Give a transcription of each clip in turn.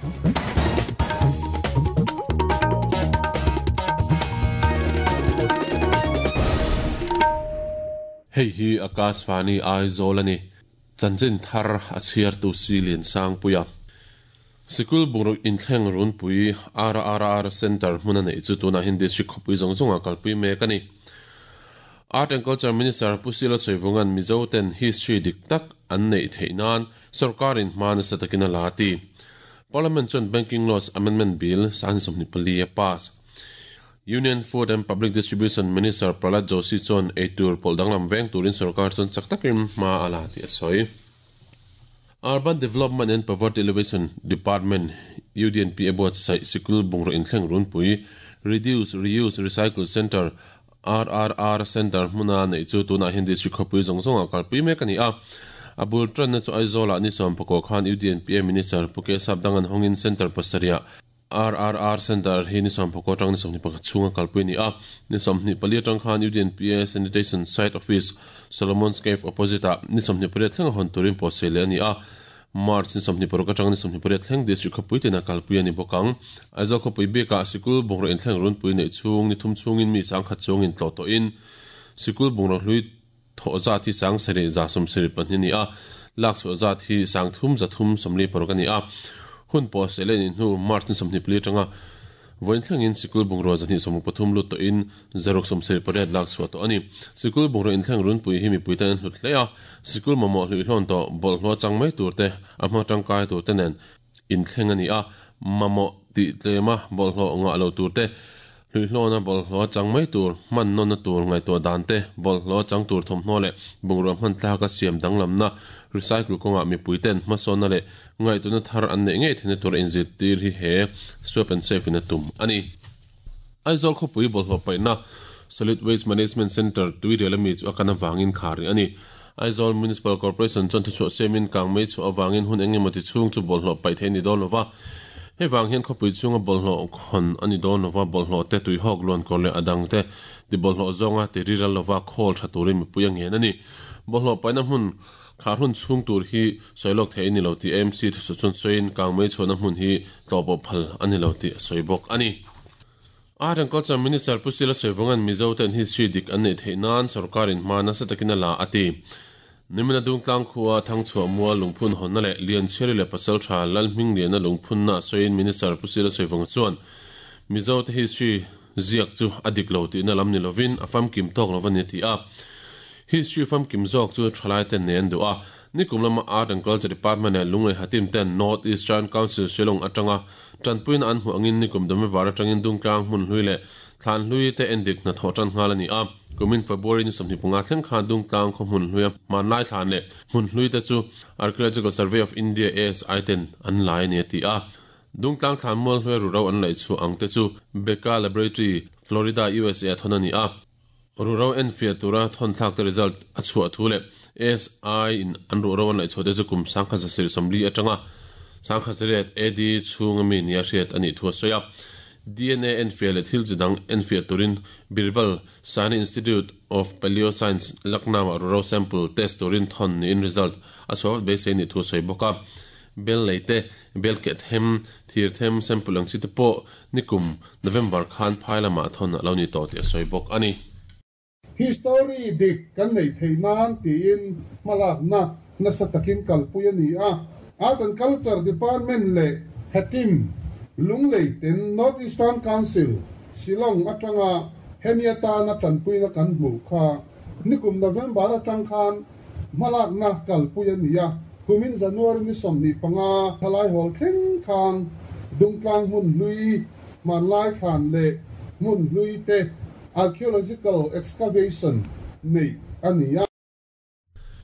Hei hi Akashvani Aizawl a ni. Chanchin thar a chhiartu si Liansangpuia. Sikul bungraw inthleng runpui RRR Centre hmun a neih chu tunah hian District khawpui zawng zawngah kalpui mek a ni. Art and Culture Minister Pu Sila Sawivunga'n Mizo ten history dik tak an neih theih nan sorkarin hma nasa takin a la a ti. Parliament chuan Banking Laws Amendment Bill 2024 a pass. Union Food and Public Distribution Minister Prahlad Joshi chuan eitur pawlh danglam veng turin sorkar chuan chak takin hma a la tih a sawi. Urban Development and Poverty Alleviation Department, UDNP, a buatsaih sikul bungraw inthleng runpui, Reduce, Reuse, Recycle Centre, RRR Centre, hmuna neih chu tunah hian District khawpui zawng zawngah kalpui mek a ni a. A bul tanna chu Aizawlah ni sawmpakua khan UDNPA Minister Pu Kesap Dangan hawngin Centre pasarihah RRR Centre hi ni sawmpakua atang ni 21 chhunga kalpui a ni a. Ni 24 atang khan UDNPA Sanitation Site Office, Solomon's Cave opposite-ah ni 28 thlenga hawn turin pawhsei leh a ni a. March ni 26 atang ni 28 thleng District khawpui tina kalpui a ni bawk ang. Aizawl khawpui bikah sikul bungraw inthleng runpui neih chhung ni thum chhungin mi sangkhat chuangin tlawh tawhin sikul bungraw hlui thawh zat hi sang sarih za sawmsarih pahnih a ni a, lak chhuah zat hi sang thum za thum sawmli paruk a ni a. Hun pawh seh leh nih hnu March ni 24 atanga vawiin thlengin sikul bungrua zahnih sawmruk pathum lut tawhin zaruk sawmsarih pariat lak chhuah tawh a ni. Sikul bungrua inthleng runpui hi mipui tan an hlut hle a, sikul mamawh hluihlawn tawh bawlhhlawh chang mai tur te, a hma tangkai tur te nen Inthleng a ni a, mamawh tih tlema bawlhhlawh ngah lo tur te, hluihlawna bawlhhlawh chang mai tur, hman nawnna tur ngaihtuah dan te, bawlhhlawh chang tur thawmhnaw leh bungrua hman tlaka siam danglamna, recycle kawngah mipui ten hmasawnna leh ngaihtuahna thar an neih ngei theihna tura inzirtir hi he Swap and Save in a tum a ni. Aizawl khawpui bawlhhlawh paihna Solid Waste Management Centre tuirial ami chu a kan avangin khar rih a ni. Aizawl Municipal Corporation chuan thuchhuah siamin kangmei chhuah avangin hun eng emawti chhung chu bawlhhlawh paih theih a ni dawn lova. Hei vang hian khawpui chhunga bawlhhlawh khawn a ni dawn lova, bawlhhlawh te, tuihawk, luankawr leh a dang te ti bawlhhlawh zawnga ti riral lova khawl tha turin mipui a ngen a ni. Bawlhhlawh paihna hmun khar hun chhung tur hi sawi lawk theih a ni lo tih AMC thuchhuah chuan sawiin kangmei chhuahna hmun hi tlawhpawh phal a ni lo tih a sawi bawk a ni. Art and Culture Minister Pu Sila Sawivawnga'n Mizo ten history dik an neih theih nan sorkarin hma nasa takin a la a ti. Nimina Dungtlang khua Thangchhuah Mual lungphun hawnna leh Lianchhiari leh Pasaltha Lalhmingliana lungphunna sawiin Minister Pu Sila Sawivawnga chuan Mizo te history ziak chu a dik lo tihna lam ni lovin a famkim tawk lo a ni a ti a. History famkim zawk chu thalai ten nei an duh a. Nikum lama Art and Culture Department leh Lunglei Hatim ten North Eastern Council Shillong atanga Tanpuina an hmuh angin nikum November atangin Dungtlang hmun hlui leh thlan hlui te endik hnathawh tan nghal a ni a. Kumin February ni 25 thleng khan Dungtlang khaw hmun hluia hmanlai thlan leh hmun hlui te chu Archaeological Survey of India, ASI, ten an lai a ni a ti a. Dungtlang thlan mual hluia ruhro an laih chhuah ang te chu Becca Laboratory, Florida, USA a thawn a ni a. Ruhro enfiah tura thawn thlak te result a chhuah thu leh ASI in an ruhro an laih chhuah te chu kum 1940 atanga 1900 AD chhunga mi nia hriat a nih thu a sawi a. DNA enfiah leh thil chi dang enfiah turin Birbal Sahni Institute of Paleoscience, Lucknow-ah ruhro sample test turin thawn niin result a chhuah vat beisei a nih thu a sawi bawk a. Bel lei te, bel keh them, thir them sample ang chi te pawh Nikum November khan phai lamah thawn a lo ni tawh tih a sawi bawk a ni. History dik kan neih theih nan tiin hmalakna nasa takin kalpui a ni a. Art and Culture Department leh Hatim, Lunglei ten North Eastern Council, Shillong atanga hemi atana tanpuina kan hmuh kha nikum November atang khan hmalakna kalpui a ni a. Kumin January ni 25 thalai hawl thleng khan Dungtlang hmun hlui, hmanlai thlan leh hmun hlui te archaeological excavation neih a ni a.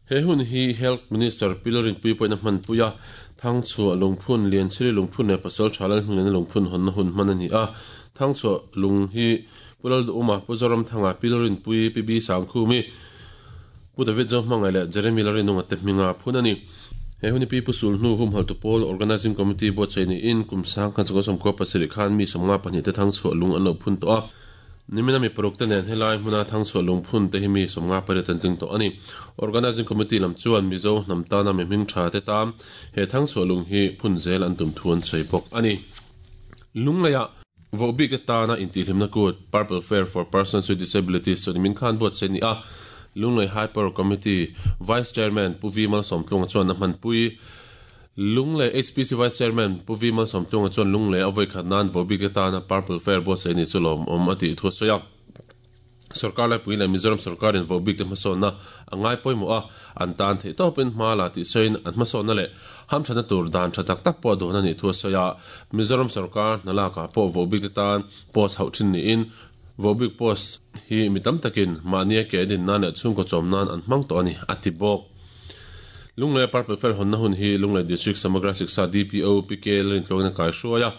He hun hi Health Minister Pi Lalrinpuii pawhin a hmanpui a, Thangchhuah lungphun, Lianchhiri lungphun leh Pasaltha Lalhmingliana lungphun hawnna hun hman a ni a. Thangchhuah lung hi Pu Lalduhuma, Pu Zoramthanga, Pi Lalrinpuii, Pi B Sangkhumi, Pu David Zohmangai leh Jeremy Lalrinunga te hminga phun a ni. He hun hi Pi Pu Sulhnu humhaltu pawl Organising Committee buatsaih niin kum 1997 khan mi 52 te Thangchhuah lung an lo phun tawh a. Nimina mi paruk te nen helai hmuna Thangchhuah lungphun te hi mi 58 an tling tawh a ni. Organising Committee lam chuan Mizo hnam tana mi hming tha te tan he Thangchhuah lung hi phun zel an tum thu an sawi bawk a ni. Lungleiah vohbik te tana intihhlimna kut Purple Fair for Persons with Disabilities chu nimin khan buatsaih a ni a. Lunglei High Power Committee Vice Chairman Pu V Malsawmtlunga chuan a hmanpui. Lunglei HPC Vice Chairman Pu V Malsawmtlunga chuan Lunglei a vawikhat nan vohbik te tana Purple Fair buatsaih ni chu lawmawm a tih thu a sawi a. Sorkar laipui leh Mizoram sorkarin vohbik te hmasawnna a ngai pawimawh a, an tan theih tawpin hma la tih sawiin an hmasawnna leh hamthatna tur dan tha tak tak pawh a duan a nih thu a sawi a. Mizoram sorkar hna lakah pawh vohbik te tan post hauh thin niin vohbik post hi mi tam takin mahnia ke din nan leh chhungkaw chawm nan an hmang tawh a ni, a ti bawk. Lunglei Purple Fair hawnna hun hi Lunglei District Samagra Shiksha DPO PK Lalintluangin a kaihruai a,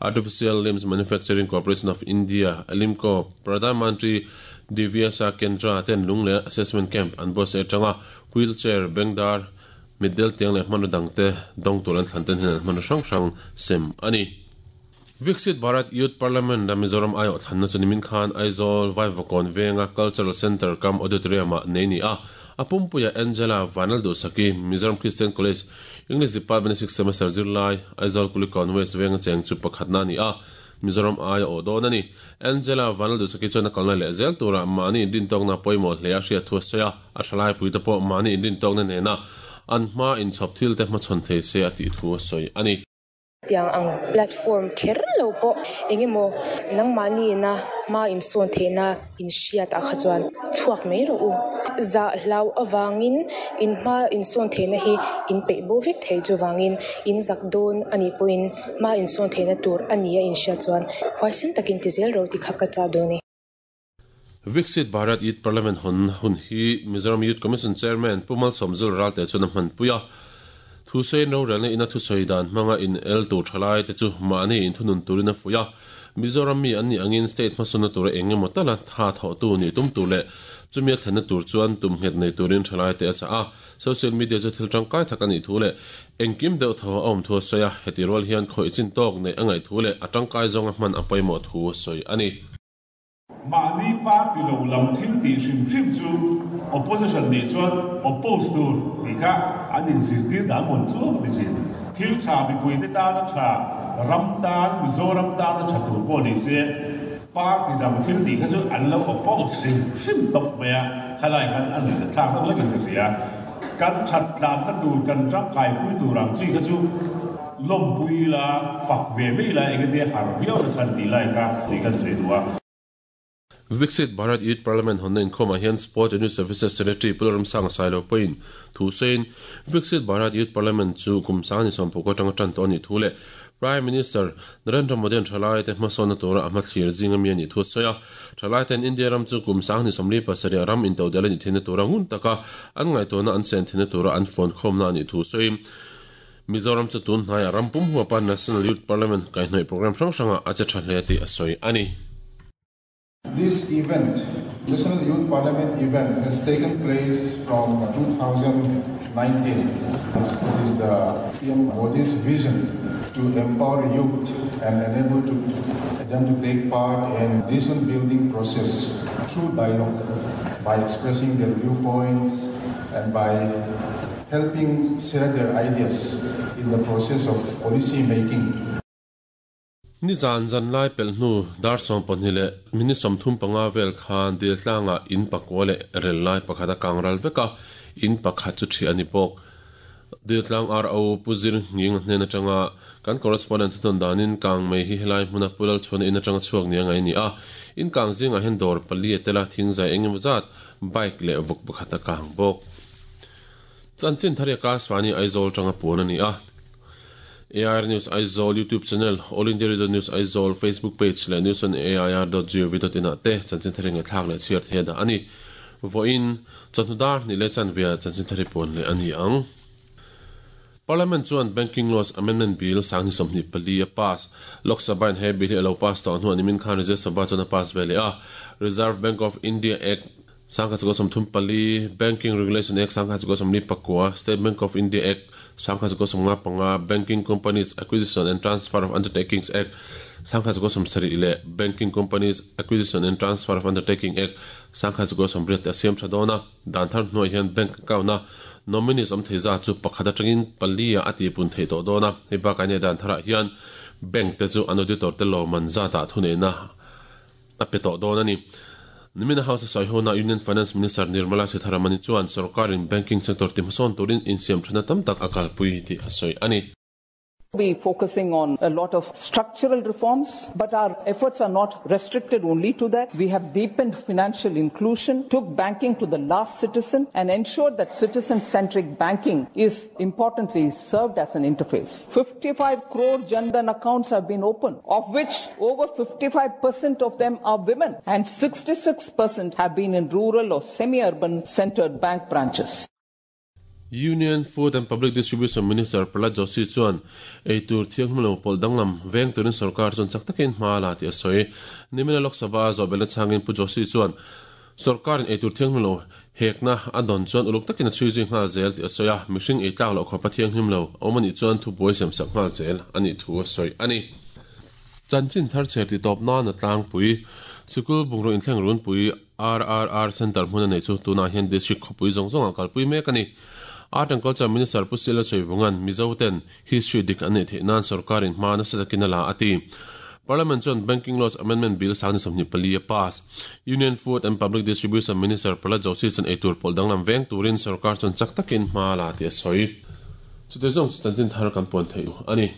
Artificial Limbs Manufacturing Corporation of India, ALIMCO, Pradhan Mantri Divyasa Kendra ten Lunglei Assessment Camp an buatsaih atanga wheelchair, bengdar, mitdel tiang leh hmanraw dangte dawng tur an thlan ten hian an hmanraw hrang hrang sem a ni. Viksit Bharat Youth Parliament a Mizoram aiawh thlanna chu nimin khan Aizawl Vaivakawn venga Cultural Centre kam Auditorium ah nei ni a, a pumpuia Angela Vanlalduhsaki, Mizoram Christian College English Department a sixth semester zirlai, Aizawl Kulikawn West venga cheng chu pakhatna a ni a, Mizoram ai a awh dawn a ni. Angela Vanlalduhsaki chuan a kalna leh zel turah mahni inrintawkna pawimawh hle a hriat thu a sawi a, a thalaipui te pawh mahni inrintawkna nena an hma inchhawp thil te hmachhawn thei se a tih thu a sawi a ni. Tiang ang platform kher lo pawh engemaw nangmahni ina hma insawn theihna inhriat ah kha chuan chhuak mai rawh u. Zah hlau avangin in hma insawn theihna hi in peih bo vek thei chuvangin in zak dawn a nih pawhin hma insawn theihna tur a ni a inhriat chuan huaisen takin ti zel rawh tih kha ka chah dawn e. Viksit Bharat Youth Parliament hawn hun hi Mizoram Youth Commission Chairman Pu Malsawmzul Ralte chuan a hmanpui a. Thusawiin rorelna ina thusawi dan hmanga in el tur thalai te chu mahni inthunun turin a fuih a. Mizoram mi an nih angin state hmasawnna tura eng emaw tala tha thawhtu nih tum tur leh chumi a thlenna tur chuan tum nghet nei turin thalai te a chah a. Social media chu thil tangkai tak a nih thu leh engkim deuh tho a awm thu a sawi a. Heti rual hian khawih chin tawk neih a ngaih thu leh a tangkai zawnga hman a pawimawh thu a sawi a ni. Mahni party lo lam thil tih hrim hrim chu opposition nih chuan oppose tur tih kha an inzirtir dan mawn chu a ni thin. Thil tha mipuite tana tha, ram tan, Mizoram tana tha tur pawh ni se party dang thil tih kha chu an lo oppose hrim hrim tawp mai a, khalai khan a nuihzat thlak deuh hlek in ka hria. Kan that tlanna tur, kan tangkaipui tur ang chi kha chu Lawmpui ila, fak ve mai ila, engati har viau na chhan tih lai kha tih kan sawi duh a. Viksit Bharat Youth Parliament hawnna inkhawmah hian Sport and Youth Services Secretary Pu Lalramsanga Sailo pawhin thu sawiin Viksit Bharat Youth Parliament chu kum sang ni sawmpuk atanga tan tawh a nih thu leh Prime Minister Narendra Modi-a'n thalaite hmasawnna tura a hmathlir zinga mi a nih thu a sawi a. Thalaite'n India ram chu kum sang ni 47 ram intodelh a nih theihna tura ngun taka an ngaihtuahna an sen theihna tura an fawnkhawmna a nih thu sawiin Mizoram chu tun hnaiah ram pum huapa National Youth Parliament kaihhnawih programme hrang hrangah a che tha hle tih a sawi a ni. This event, National Youth Parliament event has taken place from 2019. It is the PM Modi's vision to empower youth and enable to them to take part in nation building process through dialogue by expressing their viewpoints and by Helping share their ideas in the process of policy making. Nizan zan lai pelh hnu dar 12 leh minute 35 vel khan Diltlangah in pakua leh rel lai pakhat a kang ral vek a, in pakhat chu ṭhiah a ni bawk. Diltlang RO Pu Zir Nghing hnen aṭanga kan correspondent thunawn danin kang mai hi helai hmuna Pu Lalchhuana in aṭanga chhuak nia ngai a ni a, in kang zingah hian dawr pali a tel a, thingzai eng emaw zat, bike leh vawk pakhat a kang bawk. Chanchin thar hi Akashvani Aizawl tanga puan a ni a. AIR News Aizawl YouTube channel, All India Radio News Aizawl Facebook page leh news on air dot gov dot in ah te chanchin thar hi ngaihthlak leh chhiar thei a dah a ni. Vawiin, chawhnu dar hnih leh chanve ah chanchin thar hi puan leh a ni ang. Parliament chuan Banking Laws Amendment Bill sang ni 24 a pass. Lok Sabha in he bill hi a lo pass tawh hnuah nimin khan Rajya Sabha chuan a pass ve leh a. Reserve Bank of India Act, 1934, Banking Regulation Act 1944, State Bank of India Act, 1955, Banking Companies Acquisition and Transfer of Undertakings Act, 1970 leh Banking Companies Acquisition and Transfer of Undertaking Act, 1980 te a siam tha dawn a. Dan thar hnuaiah hian bank account-a nominees awm thei zat chu pakhat atangin pali-ah a tihpun theih tawh dawn a. Hei bakah hian dan tharah hian bank te chu an auditor te lawmman zatah thuneihna a pe tawh dawn a ni. Nimina House a sawi hona Union Finance Minister Nirmala Sitharaman-i chuan sorkarin banking sector tihmasawn turin insiamthana tam tak a kalpui tih a sawi a ni. Be focusing on a lot of structural reforms, but our efforts are not restricted only to that. We have deepened financial inclusion, took banking to the last citizen, and ensured that citizen-centric banking is importantly served as an interface. 55 crore Jan Dhan accounts have been opened, of which over 55% of them are women and 66% have been in rural or semi-urban centered bank branches. Union Food and Public Distribution Minister Prahlad Joshi chuan eitur thianghlim lo pawlh danglam veng turin sorkar chuan chak takin hma a la tih a sawi. Nimina Lok Sabha zawh belh nachangin Pu Joshi chuan sorkarin eitur thianghlim lo hekna a dawn chuan uluk takin a chhui zui nghal zel tih a sawi a, mihring ei tlak loh khawpa thianghlim lo a awm a nih chuan thubuai siamsak nghal zel a nih thu a sawi a ni. Chanchin thar chher ti tawp nan a tlangpui. Sikul bungraw inthleng runpui RRR Centre hmun a neih chu tunah hian District khawpui zawng zawngah kalpui mek a ni. Art and Culture Minister Pu Sila Chawivunga'n Mizo ten history dik an neih theih nan sorkarin hma nasa takin a la a ti. Parliament chuan Banking Laws Amendment Bill 2024 a pass. Union Food and Public Distribution Minister Prahlad Joshi chuan eitur pawlh danglam veng turin sorkar chuan chak takin hma a la tih a sawi. Chutei zawng chu chanchin thar kan puan theih a ni.